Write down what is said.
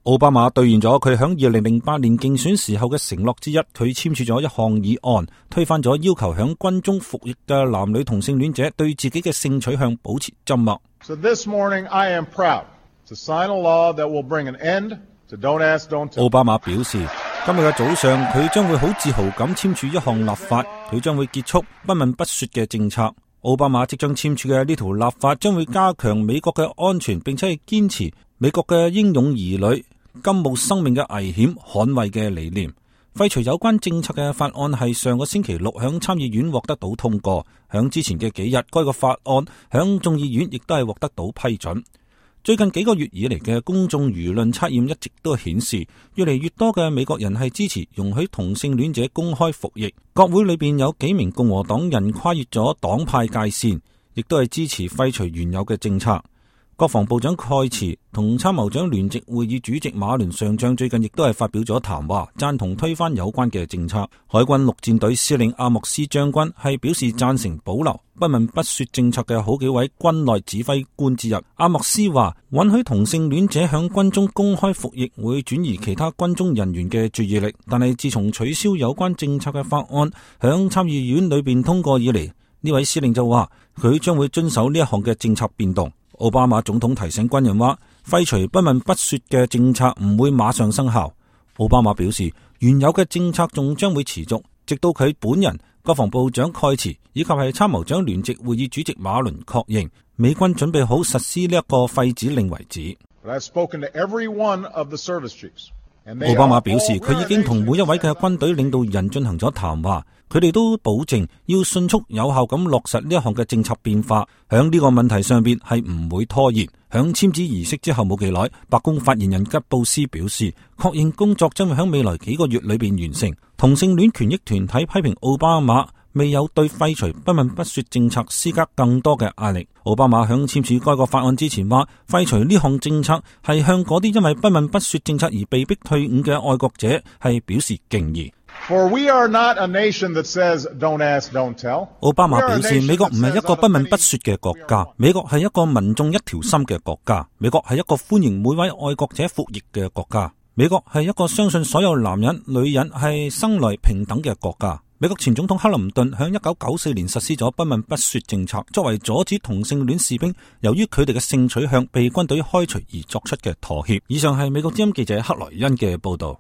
奧巴馬兌現咗佢響2008年競選時候嘅承諾之一，佢簽署咗一項議案，推翻咗要求響軍中服役嘅男女同性戀者對自己嘅性取向保持緘默。So this morning I am proud to sign a law that will bring an end to Don't Ask, Don't Tell。奧巴馬表示，今日嘅早上佢將會好自豪咁簽署一項立法，佢將會結束不問不說嘅政策。奧巴馬即將簽署嘅呢條立法將會加強美國嘅安全，並且係堅持美國嘅英勇兒女甘冒生命嘅危險捍衛嘅理念。廢除有關政策嘅法案係上個星期六響參議院獲得到通過，響之前嘅幾日該個法案響眾議院亦都係獲得到批准。最近幾個月以嚟嘅公眾輿論測驗一直都顯示，越嚟越多嘅美國人係支持容許同性戀者公開服役。國會裏邊有幾名共和黨人跨越咗黨派界線，亦都係支持廢除原有嘅政策。國防部長蓋茨同參謀長聯席會議主席馬倫上將最近亦都係發表咗談話，贊同推翻有關嘅政策。海軍陸戰隊司令阿莫斯將軍係表示贊成保留不問不說政策嘅好幾位軍內指揮官之一。阿莫斯話，允許同性戀者響軍中公開服役會轉移其他軍中人員嘅注意力，但係自從取消有關政策嘅法案響參議院裏邊通過以嚟，呢位司令就話佢將會遵守呢一項嘅政策變動。奧巴馬總統提醒軍人話，廢除不問不說嘅政策唔會馬上生效。奧巴馬表示，原有嘅政策仲將會持續，直到佢本人、國防部長蓋茨以及係參謀長聯席會議主席馬倫確認美軍準備好實施呢一個廢止令為止。奧巴馬表示，佢已經同每一位嘅軍隊領導人進行咗談話，佢哋都保證要迅速有效咁落實呢一項嘅政策變化，響呢個問題上邊係唔會拖延。響簽字儀式之後冇幾耐，白宮發言人吉布斯表示，確認工作將會響未來幾個月裏邊完成。同性戀權益團體批評奧巴馬未有對廢除不問不說政策施加更多嘅壓力。奧巴馬響簽署該個法案之前話，廢除呢項政策係向嗰啲因為不問不說政策而被迫退伍嘅愛國者係表示敬意。For we are not a nation that says, "Don't ask, don't tell." 奧巴馬表示，美國唔係一個不問不說嘅國家，美國係一個民眾一條心嘅國家，美國係一個歡迎每位愛國者服役嘅國家，美國係一個相信所有男人、女人係生來平等嘅國家。美國前總統克林頓響1994年實施咗不問不說政策，作為阻止同性戀士兵由於佢哋嘅性取向被軍隊開除而作出嘅妥協。以上係美國之音記者克萊恩嘅報道。